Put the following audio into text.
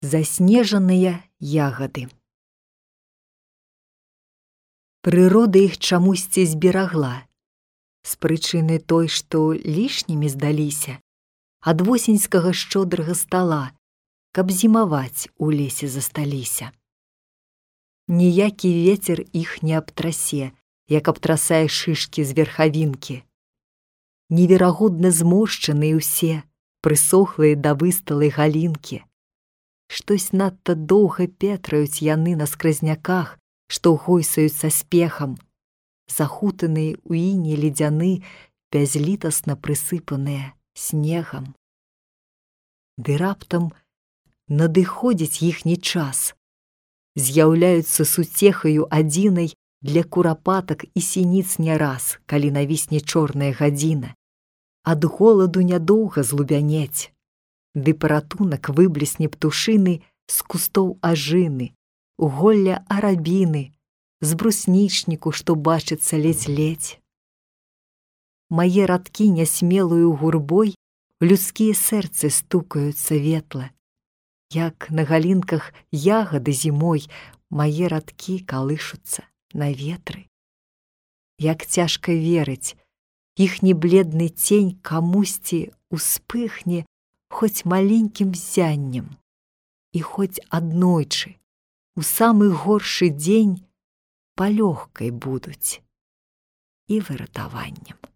Заснежаныя ягады. Прырода іх чамусьці зберагла, з прычыны той, што лішнімі здаліся ад восеньскага шчодрага стала, каб зімаваць у лесе засталіся. Ніякі вецер іх не абтрасе, як абтрасае шышкі з верхавінкі. Неверагодна зморшчаныя ўсе, прысохлыя да высталай галінкі. Штось надта доўга петраюць яны на скразняках, што гойсаюць са спехам, захутаныя ў іне ледзяны, бязлітасна прысыпаныя снегам. Ды раптам надыходзіць іхні час. З'яўляюцца суцехаю адзінай для курапатак і сініц не раз, калі навісне чорная гадзіна. Ад голаду нядоўга злубянець. Ды паратунак выблісне птушыны з кустоў ажыны, голля арабіны, з бруснічніку, што бачыцца ледзь-ледзь. Мае радкі нясмелую гурбой людскія сэрцы стукаюцца ветла. Як на галінках ягады зімой мае радкі калышуцца на ветры. Як цяжка верыць, іхні бледны цень камусьці успыхне хоць маленькім ззяннем, і хоць аднойчы, у самы горшы дзень палёгкай будуць і выратаваннем.